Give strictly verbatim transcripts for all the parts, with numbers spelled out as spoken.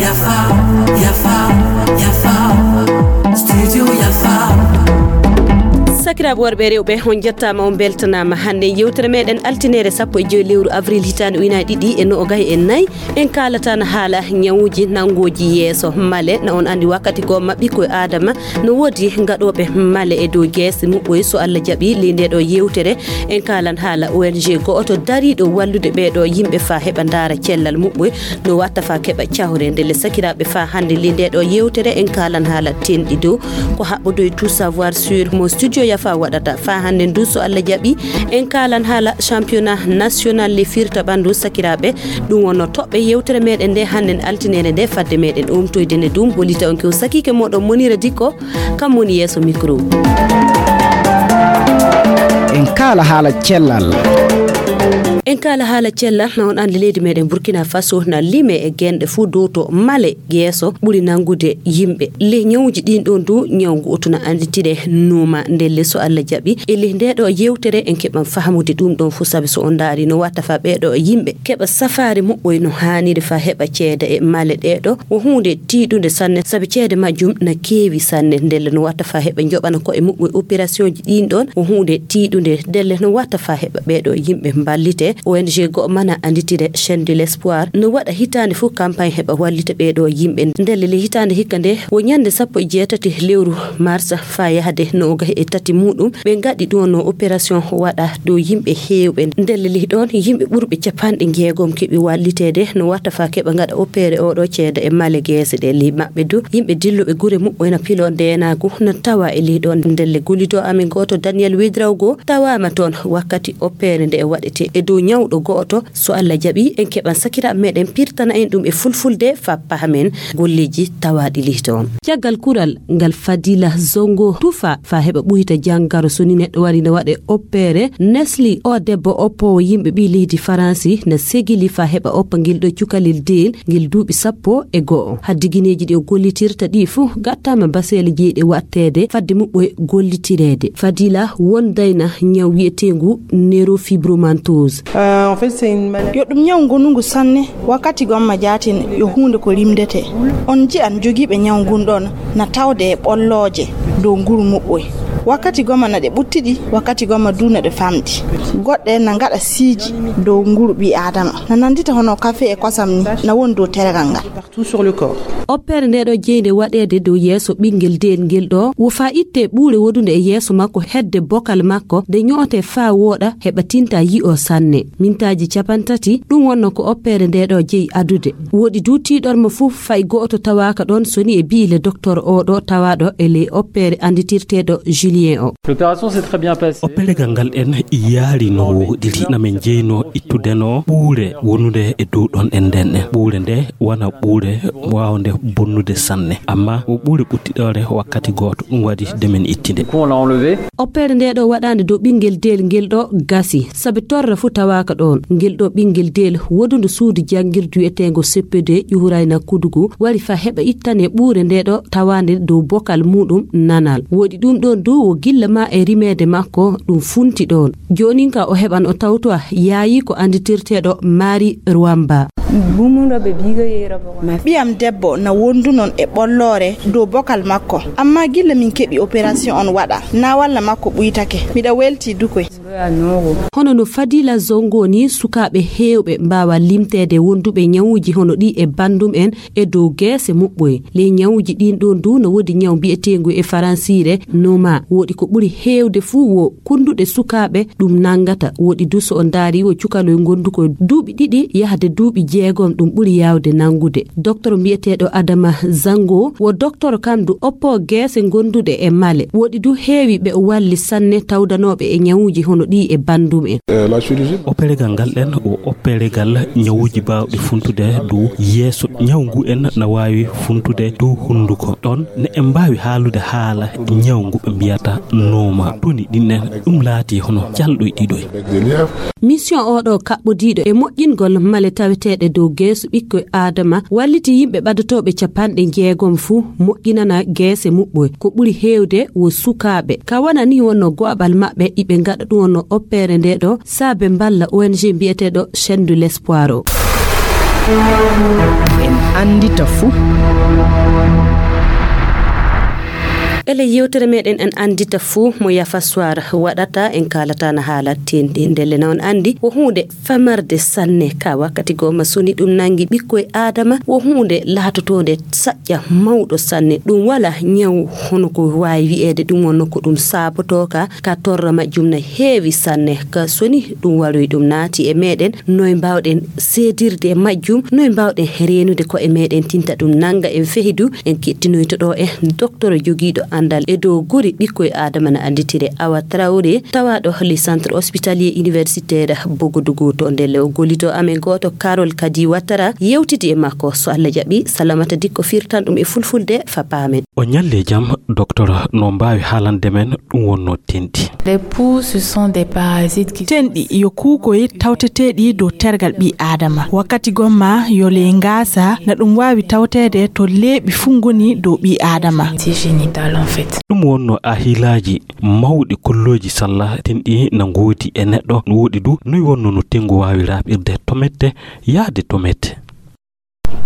Yafa, yafa, yafa. Studio yafa. Sakiraaɓe worɓe e rewɓe, on njettaama, on mbeltanaama. Hannde yewtere meɗen altineere sappo e joy lewru avril hitaande ujunaaji ɗiɗi e noogay e nayi, en kaalata no haala ñawuuji nanngooji yeeso male. Na on anndi wakkati goo maɓɓi koye Aadama no woodi gaɗooɓe male e dow geese muɓɓoy. So Allah jaɓi, ley ndee ɗoo yewtere, en kaalan haala O N G go'oto dariiɗo wallude ɓee ɗoo yimɓe faa heɓa ndaara cellal muɓɓoy no watta faa keɓa cawre. Ndelle sakiraaɓe, faa hannde ley ndee ɗoo yewtere, en kaalan haala tenɗi dow ko haɓɓodoy tout savoir sur mo studio yafa waɗata. Faa hannde ndu, so Allah jaɓi, en kaalan haala championnat national le firta ɓanndu sakiraaɓe. Ɗum wonno toɓɓe yewtere meɗen nde hannden altineere nde. Fadde meɗen umtoyde nde, ɗum hollita on ko sakiike moɗon Monira Dikko, kam woni yeeso micro. En kaala haala cellal. En kaala haala cellal, na on anndi leydi meɗen Burkina Faso na lime e genɗe fuu dow to male geeso ɓuri nanngude yimɓe. Ley ñawuuji ɗin ɗon du, ñawu ngu oto na annditire numa. Ndelle so Allah jaɓi, e ley ndee ɗoo yewtere en keɓan fahamude ɗum ɗon fuu, sabi so on ndaari no watta faa ɓee ɗoo yimɓe keɓa safaari muɓɓoy no haaniri faa heɓa ceede e male ɗee ɗoo, wo huunde tiiɗunde sanne, sabi ceede majjum na keewi sanne. Ndelle no watta faa heɓa njoɓana ko'e muɓɓoy opérationji ɗin ɗon, wo huunde tiiɗunde. Ndelle no watta faa heɓa ɓee ɗoo yimɓe mballite. O N G go'o mana annditire Chaîne de l'Espoir no waɗa hitaande fuu campagne heɓa wallita ɓee ɗoo yimɓe. Ndelle ley hitaande hikka nde, wo ñannde sappo e jeetati lewru mars faa yahde noogay e tati muɗum, ɓe ngaɗi ɗum no opération waɗa dow yimɓe heewɓe. Ndelle ley ɗon yimɓe ɓurɓe capanɗe jeegom keɓi walliteede no watta faa keɓa ngaɗa opéré oo ɗoo ceede e male geese ɗe. Ley maɓɓe du, yimɓe dilluɓe gure muɓɓoy na piloo ndeenaagu na tawa e ley ɗon. Ndelle gollidoo amen gooto, Daniel Wedraogo, tawaama toon wakkati opéré nde e waɗetee e dow ñawɗo go'oto. So Allah jaɓi, en keɓan sakiraaɓe meɗen pirtana en ɗum e fulfulde faa pahamen golleeji tawaaɗi ley toon. Caggal kural ngal Fadila Zongo tufa faa heɓa ɓuyta janngaro, so ni neɗɗo wari na waɗe opéré, Nesli, o debbo oppoowo yimɓe ɓii leydi Faransi, na segili faa heɓa oppa ngel ɗoo cukalel deel ngel duuɓi sappo e go'o. Haddi gineeji ɗi o gollitirta ɗi fuu gattaama baseele jeyɗe waɗteede fadde muɓɓoy gollitireede. Fadila wondayna ñaw wi'eteengu neurofibromantose. Yo ɗum ñaw ngonungu sanne. Wakkati gomma jaatin yo huunde ko rimdetee. On nji'an jogiiɓe ñaw ngun ɗon na tawde e ɓollooje dow nguru muɓɓoy. Wakkati gomma na ɗe ɓuttiɗi, wakkati gomma du na ɗe famɗi. Goɗɗe na ngaɗa siiji dow nguru ɓii Aadama. Na nanndita hono kafe e kosam ni, na woni dow teregal ngal. Oppeere nde ɗo jeynde waɗeede dow yeeso ɓinngel deel ngel ɗo, wo faa ittee ɓuure wodunde e yeeso makko hedde bokal makko, nde ñootee faa wooɗa, heɓa tinta yi'oo sanne. Mintaaji capantati, ɗum wonno ko oppeere nde ɗo jeyi adude. Woɗi du tiiɗorma fuu fay go'oto tawaaka ɗon, so ni e bi'ile doktor oo ɗo tawaaɗo e ley oppeere annditirteeɗo Julien o. Opperegal ngal ɗen yaari no wooɗiri. Na men jeyno ittudeno ɓuure wonunde e dow ɗon ɗen nden ɗen. Ɓuure nde wona ɓuure waawnde bonnude sanne. Amma o ɓuure ɓuttiɗoore wakkati gooto, ɗum waɗi de men ittinde. Oppeere nde ɗo waɗaande dow ɓinngel deel ngel ɗo gasi, sabi torra fuu tawaaka ɗon. Ngel ɗo ɓinngel deel wodundu suudu janngirdu wi'eteengo C P D ƴuhurayna Kudugu wari faa heɓa ittane ɓuure nde ɗo tawaande dow bokal muuɗum nanal. Woɗi ɗum ɗon du wo gilla ma e rimeede makko ɗum funti ɗon. Joonin ka o heɓan o tawtowa yaayi ko annditirteeɗo Mari Rwamba. Ɓiyam debbo na wondunon e ɓolloore dow bokal makko, amma gilla min keɓi operation on waɗa, na walla makko ɓuytake. Miɗa welti dukoy. Hono no Fadila Zongo ni, sukaaɓe heewɓe mbaawa limteede wonduɓe ñawuuji hono ɗi e banndum en e dow geese muɓɓoy. Ley ñawuuji ɗin ɗon du no woodi ñaw mbi'eteengu e faransiire noma. Woodi ko ɓuri heewde fuu wo kunnduɗe sukaaɓe ɗum nanngata. Woodi du so o ndaari wo cukaloy ngondukoy duuɓi ɗiɗi yahde duuɓi jeegom ɗum ɓuri yaawde nanngude. Doktor mbi'eteeɗo Adama Zango wo doktor kam du oppo geese ngonduɗe e male. Woodi du heewi ɓe o walli sanne tawdanooɓe e ñawuuji hono ɗi e banndum en. Operegal ngal ɗen o operegal ñawuuji baawɗi funtude dow yeeso. Ñaw ngu en na waawi funtude dow hunnduko. Ɗon ne en mbaawi haalude haala ñaw ngu ɓe mbiyata noma. Toni ɗin en ɗum laati hono calɗoy ɗiɗoy. Mission oo ɗo kaɓɓodiiɗo e moƴƴingol male taweteeɗe dow geeso ɓikkoy Aadama, walliti yimɓe ɓadotooɓe capanɗe jeegom fuu moƴƴinana geese muɓɓoy. Ko ɓuri heewde wo sukaaɓe. Ka wona nii wonno go'aɓal maɓɓe iɓe ngaɗa ɗum wonno oppeere nde ɗo, saabe mballa O N G mbi'eteeɗo Chaîne de l'Espoir o. En anndita fuu. Ele yewtere meɗen en anndita fuu mo Yafa Soir waɗata, en kaalata na haala tenɗi. Ndelle na on anndi wo huunde famarde sanne. Ka wakkati goo ma soni ɗum nanngi ɓikkoy Aadama, wo huunde laatotoonde saƴƴa mawɗo sanne. Ɗum wala ñaw hono ko waawi wi'eede ɗum wonno ko ɗum saabotoo ka, ka torra majjum na heewi sanne. Ka soni ɗum waroy ɗum naati e meɗen, noy mbaawɗen seedirde e majjum, noy mbaawɗen reenude ko'e meɗen tinta ɗum nannga en fehi du, en kettinoyto ɗo e docteur jogiiɗo anndal e dow guri ɓikkoy Aadama na annditire Awa Traoré, tawaaɗo le centre hospitalier universitaire Bogodougou to ndelle o gollito amen gooto Carole Kadi Ouattara yewtidi e makko. So Allah jaɓi, Salamata Dikko firtan ɗum e fulfulde fa paamen. O ñalli e jam, docteur, no mbaawi haalande men ɗum wonno tenɗi? Les poux, ce sont des parasites qui Tenɗi yo kuukoy tawteteeɗi dow tergal ɓii Aadama. Wakkati gomma yo le ngaasa, na ɗum waawi tawteede to leeɓi fuu ngoni dow ɓii Aadama. Génital, en fait. Ɗum wonno ahilaaji mawɗi kollooji salla tenɗi na ngoodi e neɗɗo. No woɗi du, noy wonno no tengu waawi raaɓirde to mette, yahde to mette?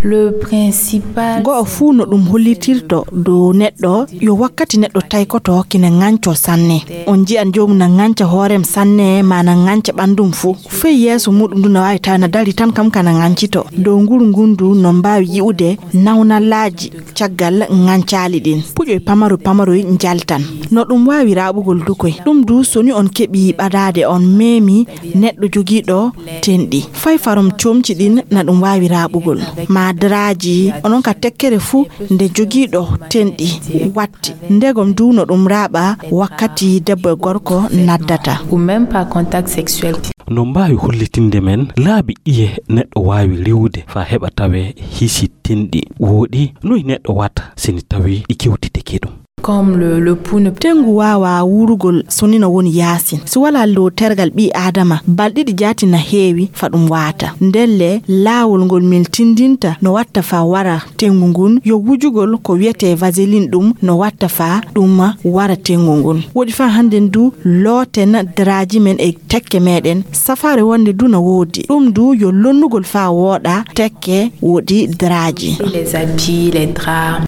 Le principal Go'o fuu no ɗum hollitirto dow neɗɗo, yo wakkati neɗɗo taykoto kina ŋancoo sanne. On nji'an joomum na ŋanca hoorem sanne, maa na ŋanca ɓanndum fuu. Fey yeeso muuɗum ndu na waawi tawa na dari tan kam kana ŋancito. Dow nguru ngun ndu no mbaawi yi'ude nawnalaaji caggal ŋancaali ɗin. Puƴoy pamaroy pamaroy njaltan. No ɗum waawi raaɓugol du koy. Ɗum du soni on keɓi ɓadaade on meemi neɗɗo jogiiɗo tenɗi. Fay farum comci ɗin na ɗum waawi raaɓugol. Maa daraaji, onon ka tekkere fuu nde jogiiɗo tenɗi watti. Ndegom du no ɗum raaɓa wakkati debbo e gorko naddata. Ou même par contact sexuel. No mbaawi hollitinde men laabi ɗiye neɗɗo waawi rewude faa heɓa tawee hisi tenɗi? Wooɗi, noy neɗɗo watta si ni tawii ɗi kewtitike ɗum? Comme le, le pouls ne Tengu waawaa wuurugol so ni no woni yaasin. Si walaa dow tergal ɓii Aadama, balɗe ɗiɗi jaati na heewi fa ɗum waata. Ndelle, laawol ngol min tindinta no watta fa wara tengu ngun, yo wujugol ko wi'etee vaseline, ɗum no watta fa ɗum wara tengu ngun. Woɗi fa hannden du, looten daraaji men e tekke meɗen. Safaare wonde du na woodi. Ɗum du yo lonnugol fa wooɗa tekke woɗi daraaji. Les habits, les draps.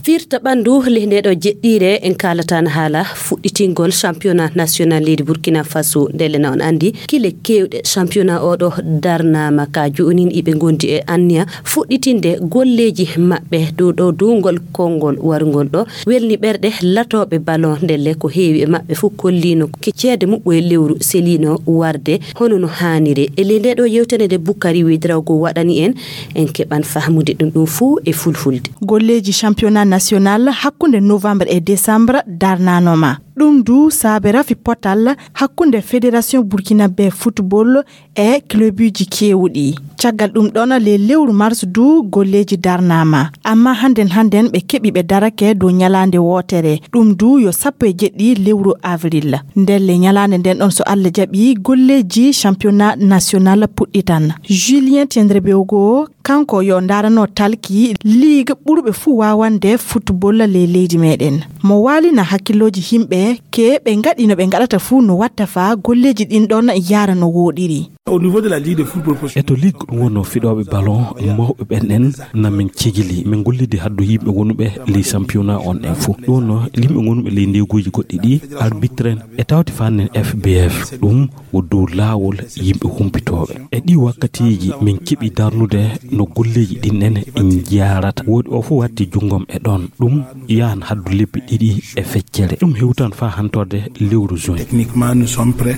Firta ɓanndu le nde ɗo jeɗɗiire en kaalatan haala fuɗɗitingol championnat national leydi Burkina Faso. Ndelle na on anndi kile keewɗe championnat oɗo darnaama ka joonin iɓe ngondi e anniya fuɗɗitinde golleeji maɓɓe dow ɗo duungol konngol warungol ɗo. Welni ɓerɗe latooɓe ballon ndelle ko heewi e maɓɓe fof kolliino ke ceede muɓɓoye lewru seliino warde hono no haaniri. E ley nde ɗo yewtere nde Bukari Wedrawgo waɗani en, en keɓan fahmude ɗum ɗum fof e fulfulde. Golleeji championnat national hakkunde novembre e décembre darnanoma. Ɗum du saabe rafi potal hakkunde Fédération Burkinabé Football e clubuji keewɗi. Caggal ɗum ɗon, le lewru mars du golleeji darnaama. Amma hannden hannden ɓe keɓi ɓe darake dow ñalaande wootere. Ɗum du yo sappo e jeɗɗi lewru avril. Ndelle ñalaande nden ɗon, so Allah jaɓi, golleeji championnat national puɗɗitan. Julien Tiendrebeugo, kanko yo ndaarano talki ligue ɓurɓe fuu waawande football ley leydi meɗen. Mo waalina hakkillooji himɓe ke ɓe ngaɗi no ɓe ngaɗata fuu no watta fa golleeji ɗin ɗon yaara no wooɗiri. Au niveau de la Ligue de football professionnel. E to ligue ɗum wonno fiɗooɓe ballon mawɓe ɓen ɗen na min cigili. Min gollidi haddu yimɓe wonuɓe ley championnat on ɗen fof. Ɗum wonno yimɓe gonuɓe ley ndeeguuji goɗɗi ɗi, arbitre en e tawti fannen F B F. Ɗum wo dow laawol yimɓe humpitooɓe. E ɗi wakkatiiji min keɓi darnude no golleeji ɗin ɗen njaarata. Woodi o fof watti junngom e ɗon. Ɗum yahan haddu lebbi ɗiɗi e feccere. Ɗum hewtan faa hantorde lewru juin. Techniquement, nous sommes prêts.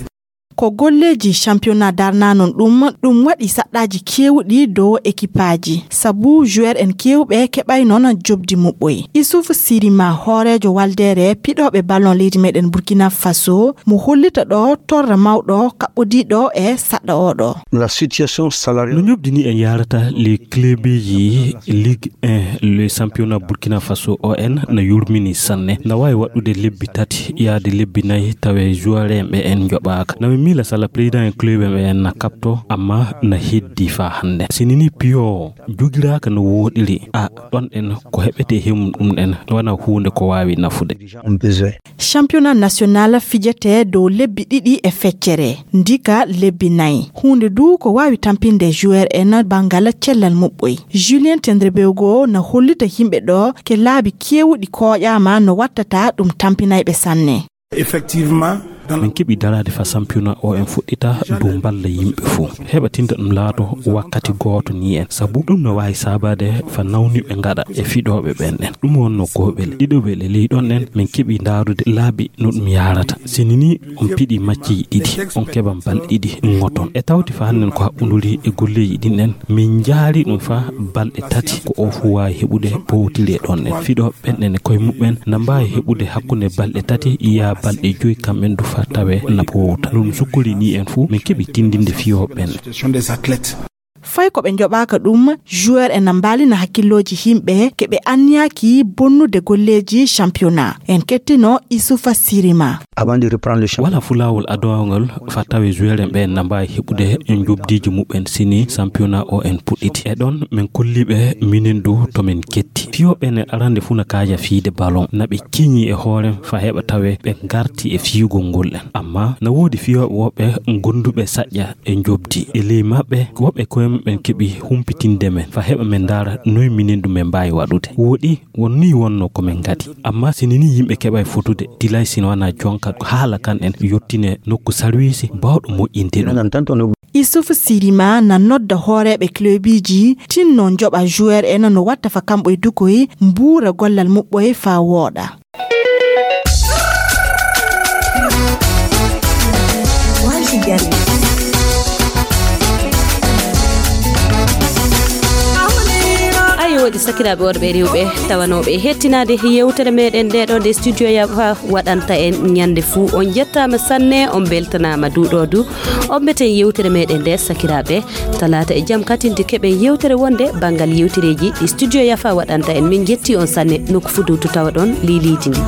Ko golleeji championnat darnaa noon ɗum, ɗum waɗi saɗɗaaji keewɗi dow ekipaaji, sabu joueur en keewɓe keɓay noon jobdi muɓɓoy. Issouf Sirima, hooreejo waldeere piɗooɓe ballon leydi meɗen Burkina Faso, mo hollita ɗo torra mawɗo kaɓɓodiiɗo e saɗɗa oɗo. La situation salariale. No ñobdi ni en yaarata les clubji Ligue un, le championnat Burkina Faso O N na yurmini sanne. Na waawi waɗɗude lebbi tati yaade lebbi nayi tawe joueur en ɓe en njoɓaaka. Na mi miila sala président en club en ɓe en na kaɓto, amma na heddi faa hannde. Si nini piyo jogiraaka no wooɗiri, a ɗon en ko heɓete hemum ɗum en wana huunde ko waawi nafude. Championnat national fijete dow lebbi ɗiɗi e feccere, ndika lebbi nayi. Huunde du ko waawi tampinde joueur en banngal cellal muɓɓoy. Julien Tendrebeugo na hollita yimɓe ɗo ke laabi keewuɗi kooƴaama no wattata ɗum tampinayɓe sanne. Effectivement, dans la Min keɓi daraade fa championnat o en fuɗɗita dow mballa yimɓe fof. Heɓa tinta ɗum laato wakkati gooto ni en. Sabu ɗum no waawi saabaade fa nawniɓe ngaɗa e fiɗooɓe ɓen ɗen. Ɗum wonno gooɓele, ɗiɗoɓele ley ɗon ɗen, min keɓi ndaarude laabi no ɗum yaarata. Si nini on piɗi macci ɗiɗi, on keɓan balɗe ɗiɗi ngoton. E tawti fa hannden ko haɓɓunduri e golleeji ɗin ɗen, min njaari ɗum fa balɗe tati ko o fof waawi heɓude powtiri e ɗon ɗen. Fiɗooɓe ɓen ɗen e koye muɓɓen na mbaawi heɓude hakkunde balɗe tati yaa balɗe joyi kamɓen du fa tawe na powta. No ɗum sukkori ni en fof, min keɓi tindinde fiyooɓe ɓen. Situation des athlètes. Fay ko ɓe njoɓaaka ɗum, joueur en na mbaalina hakkillooji yimɓe ke ɓe anniyaaki bonnude golleeji championnat. En kettino Isufa Sirima. Avant de reprendre le championnat. Wala fu laawol adowangol fa tawe joueur en ɓe na mbaawi heɓude e njobdiiji muɓɓen sini championnat o en puɗɗiti. E ɗon min kolli ɓe minen du to min ketti. Fiyooɓe en arande fu na kaaja fiide ballon. Na ɓe keñi e hoore fa heɓa tawe ɓe ngarti e fiyugol ngol en. Amma na woodi fiyooɓe woɓɓe gonduɓe saƴƴa e njobdi. E ley maɓɓe, woɓɓe koye muɓɓen keɓi humpitinde men, fa heɓa men ndaara noy minen ɗum men mbaawi waɗude. Wooɗi, won nii wonno ko men ngadi. Amma si nini yimɓe keɓay fotude, dilay sino wana jonka haala kan en yottine nokku sarwiisi baawɗo moƴƴinde ɗum. Issouf Sirima na nodda hooreeɓe clubiji tinno njoɓa joueur en no watta fa kamɓe dukoy mbuura gollal muɓɓoy fa wooɗa. Ayo, waɗi sakiraaɓe worɓe e rewɓe tawanooɓe e hettinaade yewtere meɗen nde ɗo nde studio yafa waɗanta en ñande fuu. On njettaama sanne, on mbeltanaama duuɗoodu. On mbeten yewtere meɗen nde sakiraaɓe. Talaata e jam katinde keɓen yewtere wonde banngal yewtereeji ɗi studio yafa waɗanta en. Min njetti on sanne nokku fudutu tawa ɗon liiliiji ndi.